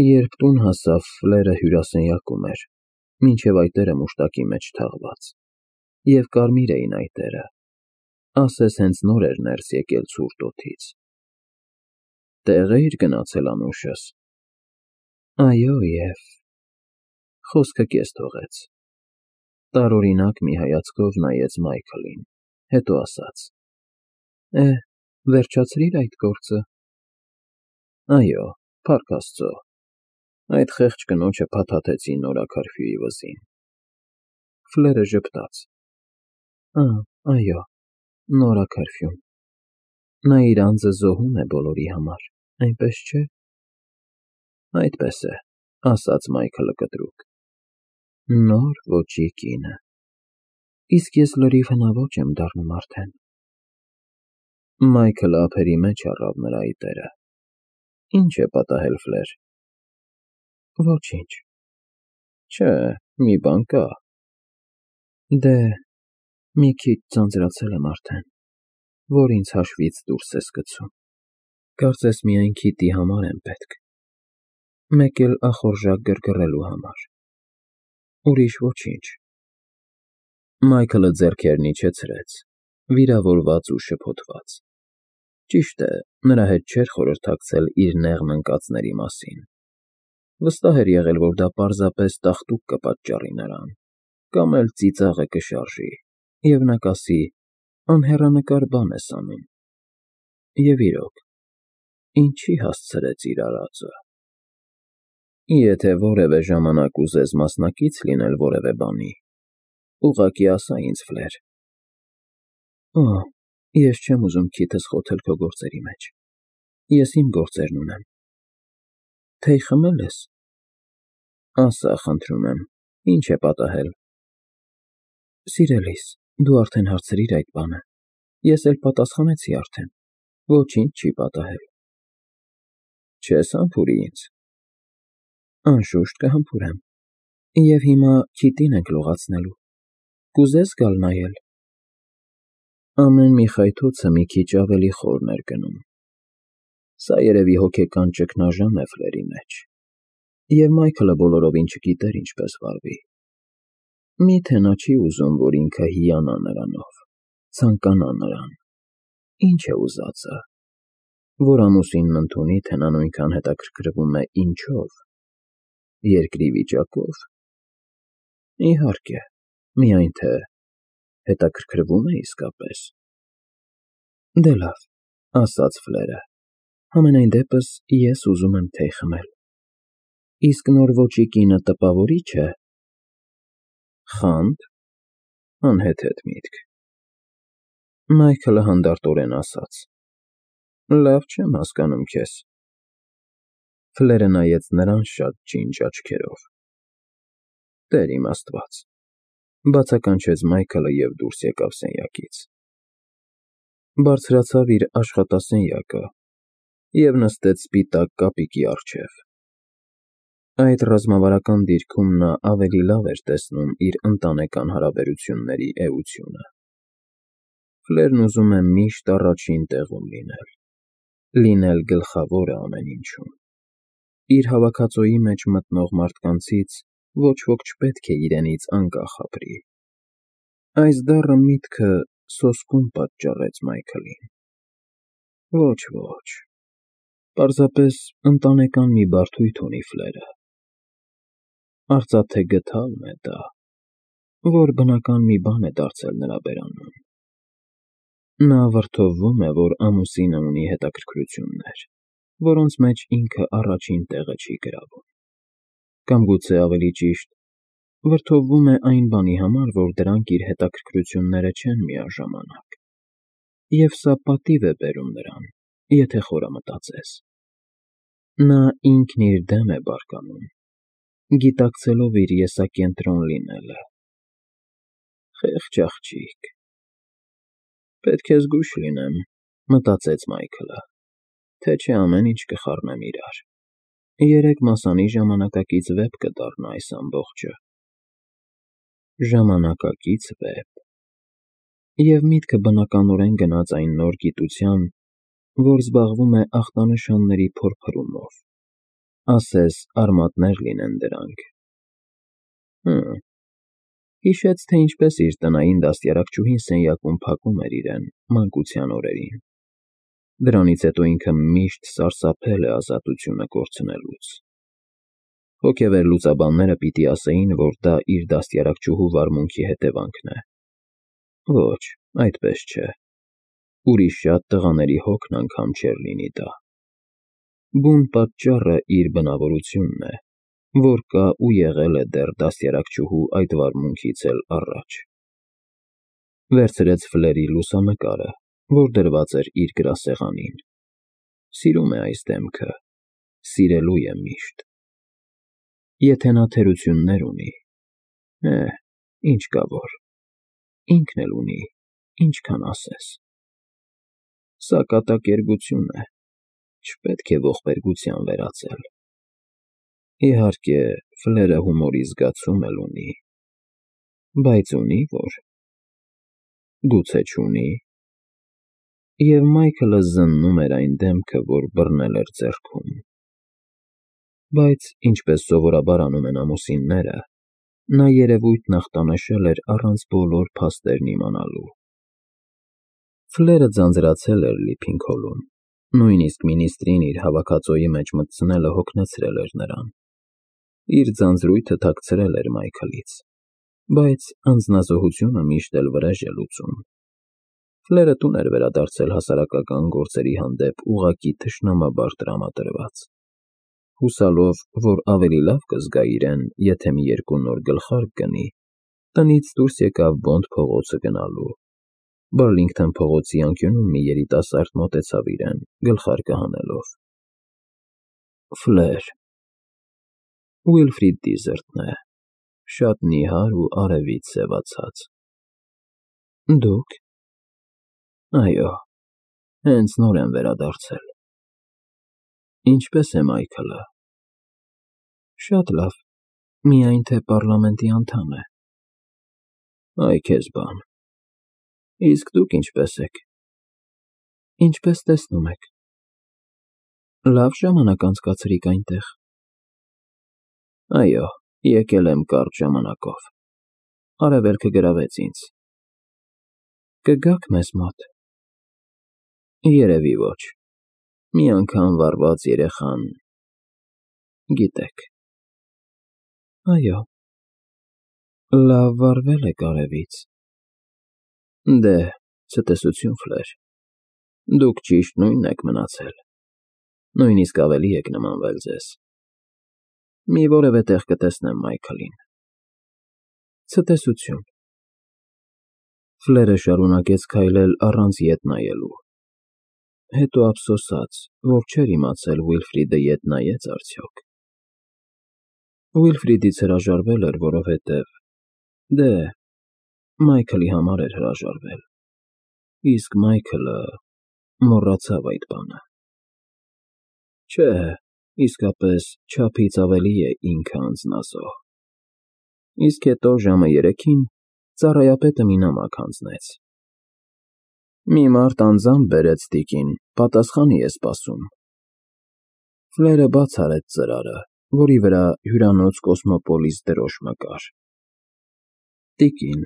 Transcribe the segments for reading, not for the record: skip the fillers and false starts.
Երբ տուն հասավ, Ֆլերը հյուրասենյակում էր, մինչև այտերը մուշտակի մեջ թաղված, և կարմիր էին այտերը, ասես հենց նոր էր ներս եկել ցուրտ օդից։ Տեղ էի՞ր գնացել անուշս։ Այո, և… Խոսքը կես թողեց, տարօրինակ մի հայացքով նայեց Մայքլին, հետո ասաց. Վերջացրի՞ր այդ գործը։ Այո, փառք Աստծո, այդ խեղճ կնոջը փաթաթեցի նորաքարֆյուի վզին։ Ֆլերը ժպտաց. Այո, նորաքարֆյուն։ Նա իր անձը զոհում է բոլորի համար, այնպես չէ՞։ Այդպես է, ասաց Մայքլը կտրուկ։ Նոր ոճի կինը։ Իսկ ես լրիվ հնաոճ եմ դառնում արդեն։ Մայքլը ափերի մեջ առավ նրա այտերը։ Ի՞նչ է պատահել, Ֆլեր։ Ոչինչ։ Չէ, մի բան կա։ Դե, մի քիչ ձանձրացել եմ արդեն, որ ինձ հաշվից դուրս ես գցում։ Կարծես միայն քիթի համար եմ պետք, մեկ էլ ախորժակ գրգռելու համար, ուրիշ ոչինչ։ Մայքլը ձեռքերն իջեցրեց, վիրավորված ու շփոթված։ Ճիշտ է, նրա հետ չէր խորհրդակցել իր նեղն ընկածների մասին։ Վստահ էր եղել, որ դա պարզապես տաղտուկ կպատճառի նրան, կամ էլ ծիծաղը կշարժի, և նա կասի. անհեռանկար բան ես անում։ Եվ իրոք, ինչի հասցրեց իր արածը։ Եթե որևէ ժամանակ ուզես մասնակից լինել որևէ բանի, ուղղակի ասա ինձ, Ֆլեր։ Ես չեմ ուզում քիթս խոթել քո գործերի մեջ, ես իմ գործերն ունեմ։ Թեյ խմե՞լ ես։ Ասա, խնդրում եմ, ինչ է պատահել։ Սիրելիս, դու արդեն հարցրիր այդ բանը, ես էլ պատասխանեցի արդեն, ոչինչ չի պատահել։ Չես համբուրի ինձ։ Անշուշտ կհամբուրեմ, և հիմա քիտին ենք լողացնելու, կուզե՞ս գալ նայել։ Ամեն մի խայթոցը մի քիչ ավելի խորն էր գնում։ Սա երևի հոգեկան ճգնաժամ է Ֆլերի մեջ, և Մայքլը բոլորովին չգիտեր ինչպես վարվի։ Միթե նա չի ուզում, որ ինքը հիանա նրանով, ցանկանա նրան։ Ինչ է ուզածը, որ ամուսինն ընդունի, թե նա նույնքան հետաքրքրվում է ինչով, երկրի վիճակո՞վ։ Իհարկե, միայն թե հետաքրքրվում է իսկապես։ Դե լավ, ասաց Ֆլերը, համենայն դեպս ես ուզում եմ թեյ խմել։ Իսկ նոր ոճի կինը տպավորի՞չ է։ Խանդ, անհեթեթ միտք։ Մայքլը հանդարտորեն ասաց. Լավ չեմ հասկանում քեզ։ Ֆլերը նայեց նրան շատ ջինջ աչքերով։ Տեր իմ Աստված, բացականչեց Մայքլը և դուրս եկավ սենյակից։ Բարձրացավ իր աշխատասենյակը և նստեց սպիտակ կապիկի առջև։ Այդ ռազմավարական դիրքում նա ավելի լավ էր տեսնում իր ընտանեկան հարաբերությունների էությունը։ Ֆլերն ուզում է միշտ առաջին տեղում լինել գլխավորը ամեն ինչում։ Իր հավաքածուի մեջ մտնող մարդկանցից ոչ ոք չպետք է իրենից անկախ ապրի։ Այս դառը միտքը սոսկում պատճառեց Մայքլին։ Ոչ, պարզապես ընտանեկան մի բարդույթ ունի Ֆլերը։ Արծաթե գդալն է դա, որ բնական մի բան է դարձել նրա բերանուն։ Նա վրդովվում է, որ ամուսինը ունի հետաքրքրություններ, որոնց մեջ ինքը առաջին տեղը չի գրավում։ Կամ գուցե ավելի ճիշտ, վրդովվում է այն բանի համար, որ դրանք իր հետաքրքրությունները չեն միաժամանակ։ Եվ սա պատիվ է բերում նրան, եթե խորամտածես։ Նա ինքն իր դեմ է բարկանում, գիտակցելով իր եսակենտրոն լինելը։ Խեղճ աղջիկ։ Պետք է զգույշ լինեմ, մտածեց Մայքլը, թե չէ ամեն ինչ կխառնեմ իրար։ Երեկ մասանի ժամանակակից վեպ կդառնա այս ամբողջը։ Ժամանակակից վեպ։ Եվ միտքը բնականորեն գնաց այն նոր գիտության, որ զբաղվում է ախտանշանների փորփրումով, ասես արմատներ լինեն դրանք։ Հիշեց, թե ինչպես իր տնային դաստիարակչուհին սենյակում փակում էր իրեն մանկության օրերին։ Դրանից հետո ինքը միշտ սարսափել է ազատությունը կորցնելուց։ Հոգևոր լուծաբանները պիտի ասեին, որ դա իր դաստիարակչուհու վարմունքի հետևանքն է։ Ոչ, այդպես չէ։ Ուրիշ շատ տղաների հոգն անգամ չէր լինի դա։ Բուն պատճառը իր բնավորությունն է, որ կա ու եղել է դեռ դաստիարակչուհու այդ վարմունքից էլ առաջ։ Վերցրեց Ֆլերի լուսանկարը, որ դրված էր իր գրասեղանին։ Սիրում է այս դեմքը, սիրելու է միշտ։ Եթե նա թերություններ ունի, ինչ կա որ, ինքն էլ ունի, ինչքան ասես։ Սա կատակերգություն է, չպետք է ողբերգության վերածել։ Իհարկե, Ֆլերը հումորի զգացում էլ ունի, բայց ունի որ, գուցե չունի։ Եվ Մայքլը զննում էր այն դեմքը, որ բռնել էր ձեռքում։ Բայց, ինչպես սովորաբար անում են ամուսինները, նա երևույթն ախտանշել էր առանց բոլոր փաստերն իմանալու։ Ֆլերը ձանձրացել էր Լիփինգհոլում, նույնիսկ մինիստրին իր հավաքածոյի մեջ մտցնելը հոգնեցրել էր նրան։ Իր ձանձրույթը թաքցրել էր Մայքլից, բայց անձնազոհությունը միշտ էլ վրեժ է լուծում։ Ֆլերը տուն էր վերադարձել հասարակական գործերի հանդեպ ուղղակի թշնամաբար տրամադրված։ Հուսալով, որ ավելի լավ կզգա իրեն, եթե մի երկու նոր գլխարկ գնի, տնից դուրս եկավ Բոնդ փողոցը գնալու։ Բարլինգթոն փողոցի անկյունում մի երիտասարդ մոտեցավ իրեն, գլխարկը հանելով։ Ֆլեր։ Ուիլֆրիդ Դիզերտն է, շատ նիհար ու արևից սևացած։ Դուք։ Այո, հենց նոր եմ վերադարձել։ Ինչպես է Մայքլը։ Շատ լավ, միայն թե պառլամենտի անդամ է։ Այ քեզ բան։ Իսկ դուք ինչպես եք։ Ինչպես տեսնում եք։ Լավ ժամանակ անցկացրիք այնտեղ։ Այո, եկել եմ կարճ ժամանակով։ Արևելքը գրավեց ինձ։ Կգաք մեզ մոտ։ Երևի ոչ։ Մի անգամ վառված երեխան, գիտեք։ Այո, լավ վառվել եք արևից։ Դե, ցտեսություն, Ֆլեր։ Դուք ճիշտ նույնն եք մնացել։ Նույնիսկ ավելի եք նմանվել ձեզ։ Մի որևէ տեղ կտեսնեմ Մայքլին։ Ցտեսություն։ Ֆլերը շարունակեց քայլել առանց ետ նայելու։ Հետո ափսոսաց, որ չէր իմացել Ուիլֆրիդը ետ նայեց արդյոք։ Ուիլֆրիդից հրաժարվել էր, որովհետև, Մայքլի համար էր հրաժարվել, իսկ Մայքլը մոռացավ այդ բանը։ Չէ, իսկապես չափից ավելի է ինքը անձնազոհ։ Իսկ հետո ժամը 3-ին ծառայապետը մի նամակ հանձնեց։ Մի մարդ անձամբ բերեց տիկին, պատասխանի է սպասում։ Ֆլերը բաց արեց ծրարը, որի վրա հյուրանոց Կոսմոպոլիս դրոշմը կար։ Տիկին,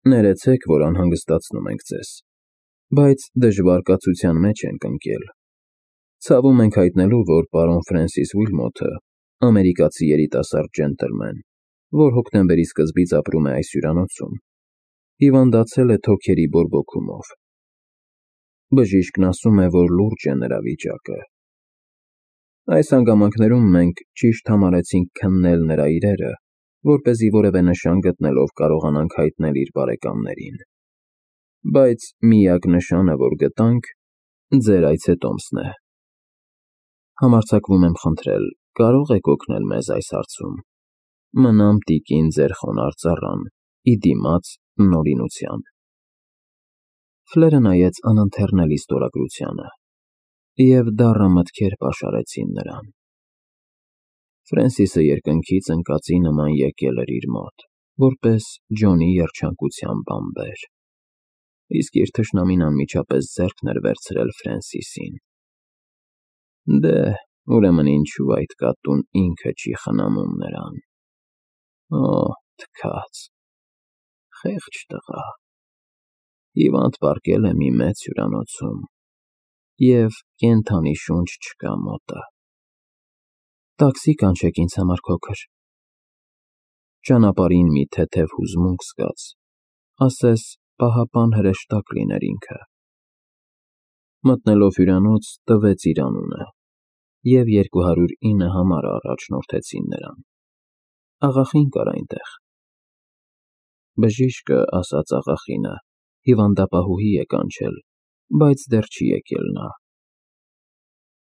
ներեցեք, որ անհանգստացնում ենք ձեզ, բայց դժվար կացության մեջ ենք ընկել։ Ցավում ենք հայտնելու, որ պարոն Ֆրենսիս Ուիլմոթը, ամերիկացի երիտասարդ ջենտլմեն, որ հոկտեմբերի սկզբից ապրում է այս հյուրանոցում, հիվանդացել է թոքերի բորբոքումով։ Բժիշկն ասում է, որ լուրջ է նրա վիճակը։ Այս հանգամանքներում մենք ճիշտ համարեցինք քննել նրա իրերը, որպեսզի որևէ նշան գտնելով կարողանանք հայտնել իր բարեկամներին։ Բայց միակ նշանը, որ գտանք, ձեր այցետոմսն է։ Համարձակվում եմ խնդրել, կարո՞ղ եք օգնել մեզ այս հարցում։ Մնամ տիկին ձեր խոնարհ ծառան, ի դիմաց նորինության։ Ֆլերը նայեց անընթեռնելի ստորագրությանը, և դառը մտքեր պաշարեցին նրան։ Ֆրենսիսը երկնքից ընկածի նման եկել էր իր մոտ, որպես Ջոնի երջանկության բանբեր, իսկ իր թշնամին անմիջապես ձեռքն էր վերցրել Ֆրենսիսին։ Ուրեմն ինչու այդ կատուն ինքը չի խնամում նրան։ Օ, թքած, խեղճ տղա։ Հիվանդ պառկել է մի մեծ հյուրանոցում, և կենդանի շունչ չկա մոտը։ Տաքսի կանչեք ինձ համար, քոքր։ Ճանապարհին մի թեթև հուզմունք զգաց, ասես պահապան հրեշտակ լիներ ինքը։ Մտնելով հյուրանոց, տվեց իր անունը, և 209 համարը առաջնորդեցին նրան։ Աղախին կար այնտեղ։ Բժիշկը, ասաց աղախինը, հիվանդապահուհի է կանչել, բայց դեռ չի եկել նա։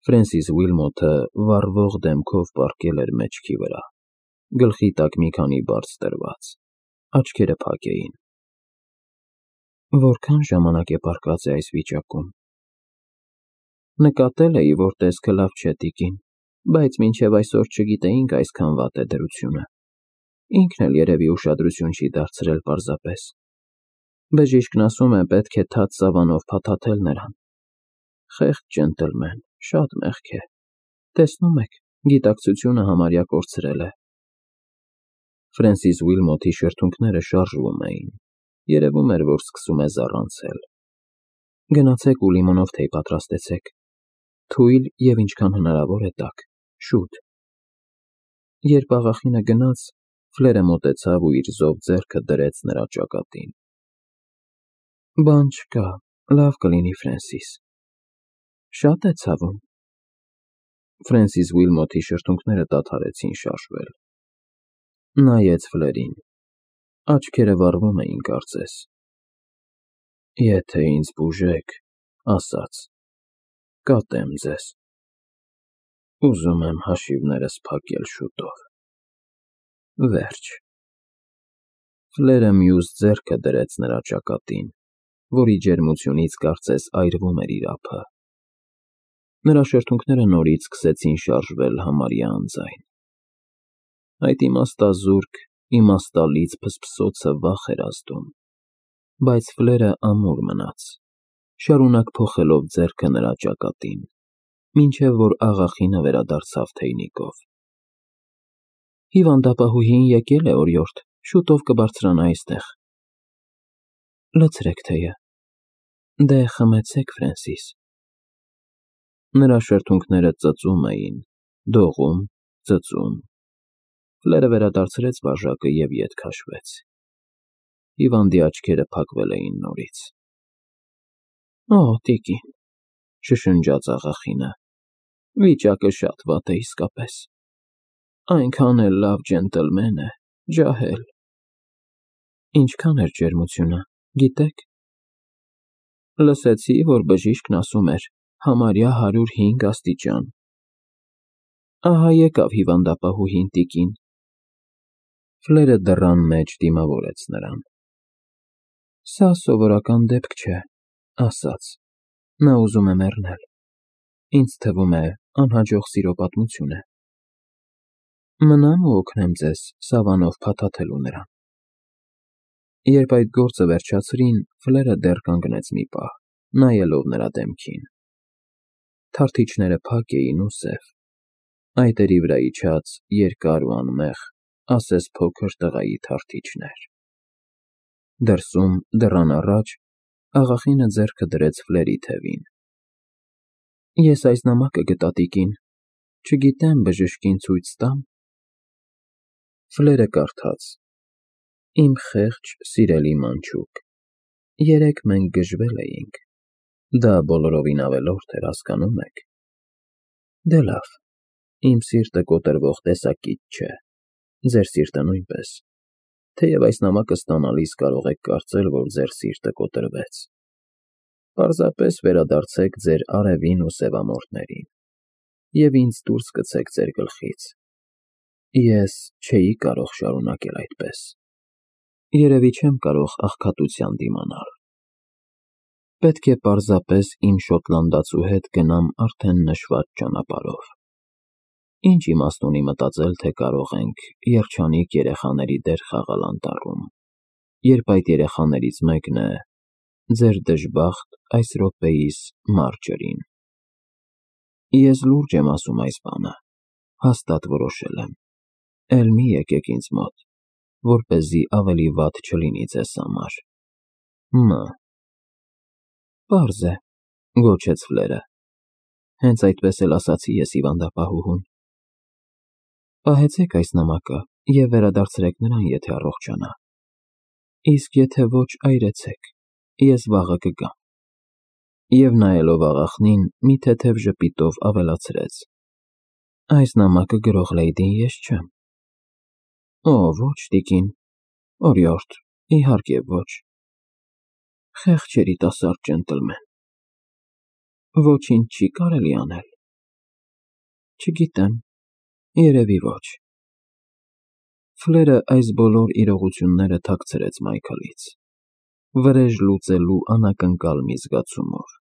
Ֆրենսիս Ուիլմոթը վառվող դեմքով պառկել էր մեջքի վրա, գլխի տակ մի քանի բարձ դրված, աչքերը փակ էին։ Որքան ժամանակ է պառկած է այս վիճակում։ Նկատել էի, որ տեսքը լավ չէ, տիկին, բայց մինչև այսօր չգիտեինք այսքան վատ է դրությունը։ Ինքն էլ երևի ուշադրություն չի դարձրել պարզապես։ Բժիշկն ասում է, պետք է թաց սավանով փաթաթել նրան։ Խեղճ ջենտլմեն, շատ մեղք է։ Տեսնում եք, գիտակցությունը համարյա կորցրել է։ Ֆրենսիս Ուիլմոթի շրթունքները շարժվում էին։ Երևում էր, որ սկսում է զառանցել։ Գնացեք ու լիմոնով թեյ պատրաստեցեք։ Թույլ և ինչքան հնարավոր է տաք, շուտ։ Երբ աղախինը գնաց, Ֆլերը մոտեցավ ու իր զով ձեռքը դրեց նրա ճակատին։ Բան չկա, լավ կլինի, Ֆրենսիս։ Շատ է ցավում։ Ֆրենսիս Ուիլմոթի շրթունքները դադարեցին շարժվել։ Նայեց Ֆլերին։ Աչքերը վառվում էին կարծես։ Եթե ինձ բուժեք, ասաց, կատեմ ձեզ։ Ուզում եմ հաշիվներս փակել շուտով։ Վերջ։ Ֆլերը մյուս ձեռքը դրեց նրա ճակատին, որի ջերմությունից կարծես այրվում էր իր ափը։ Նրա շրթունքները նորից սկսեցին շարժվել համարյա անձայն։ Այդ իմաստազուրկ, իմաստալից փսփսոցը վախ էր ազդում, բայց Ֆլերը ամուր մնաց, շարունակ փոխելով ձեռքը նրա ճակատին, մինչև որ աղախինը վերադարձավ թեյնիկով։ Հիվանդապահուհին եկել է օրիորդ, շուտով կբարձրանա այստեղ։ Լցրեք թեյը։ Դե խմեցեք, Ֆրենսիս։ Նրա շրթունքները ծծում էին, դողում, ծծում։ Ֆլերը վերադարձրեց բաժակը և ետ քաշվեց։ Հիվանդի աչքերը փակվել էին նորից։ Օ, տիկին, շշնջաց աղախինը, վիճակը շատ վատ է իսկապես։ Այնքան էլ լավ ջենտլմեն է, ջահել։ Ինչքան էր ջերմությունը, գիտեք։ Լսեցի, որ բժիշկն ասում էր, համարյա 105 աստիճան։ Ահա եկավ հիվանդապահուհին, տիկին։ Ֆլերը դռան մեջ դիմավորեց նրան։ Սա սովորական դեպք չէ, ասաց։ Նա ուզում է մեռնել։ Ինձ թվում է, անհաջող սիրո պատմություն է։ Մնամ ու օգնեմ ձեզ սավանով փաթաթելու նրան։ Երբ այդ գործը վերջացրին, Ֆլերը դեռ կանգնեց մի պահ, նայելով նրա դեմքին։ Թարթիչները փակ էին ու սև, այտերի վրա իջած երկար ու անմեղ, ասես փոքր տղայի թարթիչներ։ Դրսում, դռան առաջ, աղախինը ձեռքը դրեց Ֆլերի թևին։ Ես այս նամակը գտա, տիկին, չգիտեմ բժշկին ցույց տամ։ Ֆլերը կարդաց. Իմ խեղճ, սիրելի մանչուկ, երեկ մենք գժվել էինք։ Դա բոլորովին ավելորդ էր, հասկանում եք։ Դե լավ, իմ սիրտը կոտրվող տեսակիտ չէ, ձեր սիրտը նույնպես, թեև այս նամակը ստանալիս կարող եք կարծել, որ ձեր սիրտը կոտրվեց։ Պարզապես վերադարձեք ձեր արևին ու սևամորթներին, և ինձ դուրս գցեք ձեր գլխից։ Ես չէի կարող շարունակել այդպես։ Երևի չեմ կարող աղքատության դիմանալ։ Պետք է պարզապես իմ շոտլանդացու հետ գնամ արդեն նշված ճանապարհով։ Ինչ իմաստ ունի մտածել, թե կարող ենք երջանիկ երեխաների դեր խաղալ անտառում, երբ այդ երեխաներից մեկն է ձեր դժբախտ այս րոպեիս Մարջերին։ Ես լուրջ եմ ասում այս բանը, հաստատ որոշել եմ, էլ մի եկեք ինձ մոտ, որպեսզի ավելի վատ չլինի ձեզ համար։ Պարզ է, գոչեց Ֆլերը, հենց այդպես էլ ասացի ես հիվանդապահուհուն։ Պահեցեք այս նամակը և վերադարձրեք նրան, եթե առողջանա, իսկ եթե ոչ, այրեցեք, ես վաղը կգամ։ Եվ նայելով աղախնին, մի թեթև ժպիտով ավելացրեց. Այս նամակը գրող լեյդին ես չեմ։ Ոչ, տիկին, օրիորդ, իհարկե ոչ։ Խեղճ երիտասարդ ջենտլմեն։ Ոչինչ չի կարելի անել։ Չգիտեմ, երևի ոչ։ Ֆլերը այս բոլոր իրողությունները թաքցրեց Մայքլից, վրեժ լուծելու անակնկալ մի զգացումով։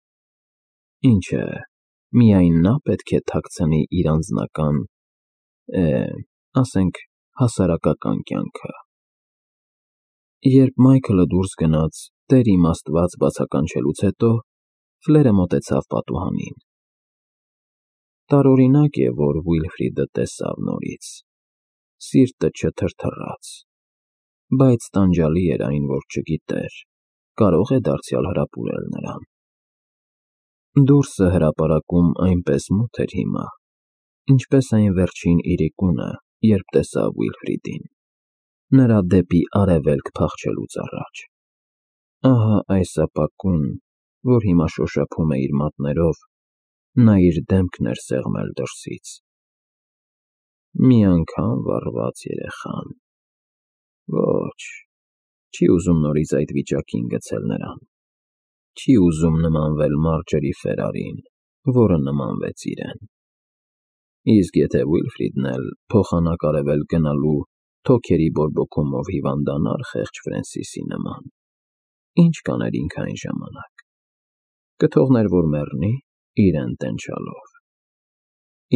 Ինչ է, միայն նա պետք է թաքցնի իր անձնական, ասենք, հասարակական կյանքը։ Երբ Մայքլը դուրս գնաց, Տեր իմ Աստված բացականչելուց հետո, Ֆլերը մոտեցավ պատուհանին։ Տարօրինակ է, որ Ուիլֆրիդը տեսավ նորից, սիրտը չթրթռաց, բայց տանջալի էր այն, որ չգիտեր, կարող է դարձյալ հրապուրել նրան։ Դուրսը հրապարակում այնպես մութ էր հիմա, ինչպես այն վերջին իրիկունը, երբ տեսավ Ուիլֆրիդին, նրա դեպի արևելք փախչելուց առաջ։ Ահա այս ապակուն, որ հիմա շոշափում է իր մատներով, նա իր դեմքն էր սեղմել դրսից։ Մի անգամ վառված երեխան։ Ոչ, չի ուզում նորից այդ վիճակին գցել նրան։ Չի ուզում նմանվել Մարջերի Ֆերարին, որը նմանվեց իրեն։ Իսկ եթե Ուիլֆրիդն էլ փոխանակարևել գնալու թոքերի բորբոքումով հիվանդանար խեղճ Ֆրենսիսի նման, ինչ կաներ ինքը այն ժամանակ։ Կթողներ, որ մեռնի, իրեն տենչալով։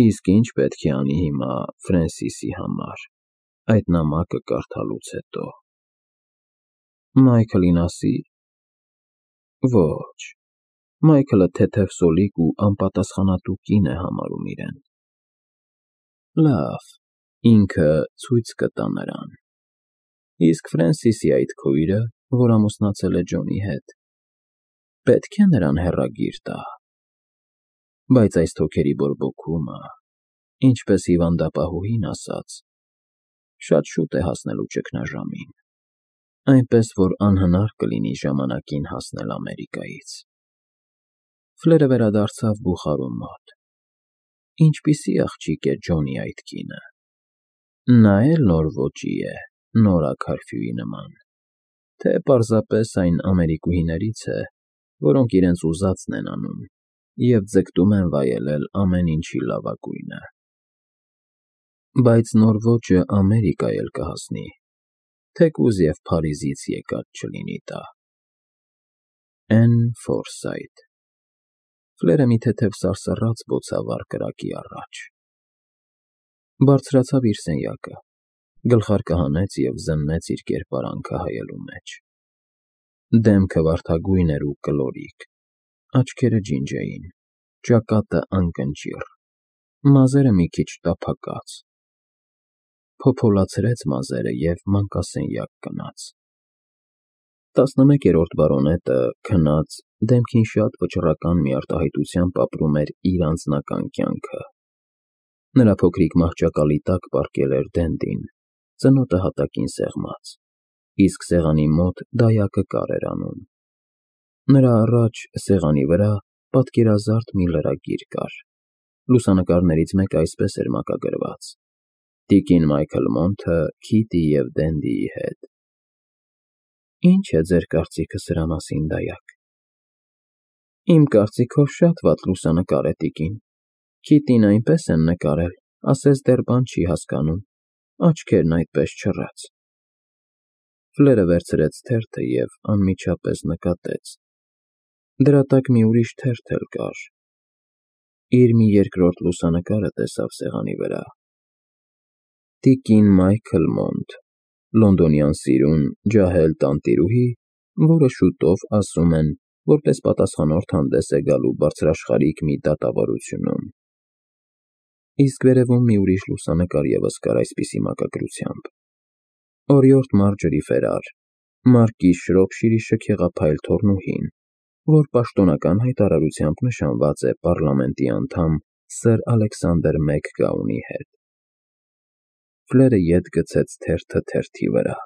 Իսկ ինչ պետք է անի հիմա Ֆրենսիսի համար, այդ նամակը կարդալուց հետո։ Մայքլին ասի։ Ոչ, Մայքլը թեթև սոլիկ ու անպատասխանատու կին է համարում իրեն։ Լավ, ինքը ցույց կտա նրան։ Իսկ Ֆրենսիսի այդ քույրը, որ ամուսնացել է Ջոնի հետ, պետք է նրան հեռագիր տա։ Բայց այս թոքերի բորբոքումը, ինչպես հիվանդապահուհին ասաց, շատ շուտ է հասնելու ճգնաժամին, այնպես որ անհնար կլինի ժամանակին հասնել Ամերիկայից։ Ֆլերը վերադարձավ բուխարու մոտ։ Ինչպիսի աղջիկ է Ջոնի այդ կինը։ Նա էլ նոր ոճի է, նորաքարֆյուի նման, թե պարզապես այն ամերիկուհիներից է, որոնք իրենց ուզածն են անում և ձգտում են վայելել ամեն ինչի լավագույնը։ Բայց նոր ոճը Ամերիկա էլ կհասնի, թեկուզ և Փարիզից եկած չլինի դա։ Էն Ֆորսայթ։ Ֆլերը մի թեթև սարսռաց բոցավառ կրակի առաջ։ Բարձրացավ իր սենյակը, գլխարկը հանեց և զննեց իր կերպարանքը հայելու մեջ։ Դեմքը վարդագույն էր ու կլորիկ, աչքերը ջինջ էին, ճակատը անկնճիռ, մազերը մի քիչ տափակած։ Փոփոլացրեց մազերը և մանկասենյակ գնաց։ 11-րդ բարոնետը, քնած, դեմքին շատ վճռական մի արտահայտությամբ ապրում էր իր անձնական կյանքը։ Նրա փոքրիկ մահճակալի տակ պառկել էր Դենդին, ծնոտը հատակին սեղմած, իսկ սեղանի մոտ դայակը կար էր անում։ Նրա առաջ, սեղանի վրա, պատկերազարդ մի լրագիր կար։ Լուսանկարներից մեկը այսպես էր մակագրված. Տիկին Մայքլ Մոնթը Քիթի և Դենդիի հետ։ Ինչ է ձեր կարծիքը սրա մասին, դայակ։ Իմ կարծիքով շատ վատ լուսանկար է, տիկին։ Քիթին այնպես են նկարել, ասես դեռ բան չի հասկանում, աչքերն այդպես չռած։ Ֆլերը վերցրեց թերթը և անմիջապես նկատեց. դրա տակ մի ուրիշ թերթ էլ կար։ Իր մի երկրորդ լուսանկարը տեսավ սեղանի վրա. Տիկին Մայքլ Մոնթ, լոնդոնյան սիրուն, ջահել տանտիրուհի, որը շուտով, ասում են, որպես պատասխանորդ հանդես է գալու բարձրաշխարհիկ մի դատավարությունում։ իսկ վերևում մի ուրիշ լուսանկար ևս կար այսպիսի մակագրությամբ. «Օրիորդ Մարջորի Ֆերար, Մարկիս Շրոփշիրի շքեղափայլ թոռնուհին, որ պաշտոնական հայտարարությամբ նշանված է պառլամենտի անդամ Սըր Ալեքսանդր Մեքգաունի հետ»։ Ֆլերը ետ գցեց թերթը թերթի վրա։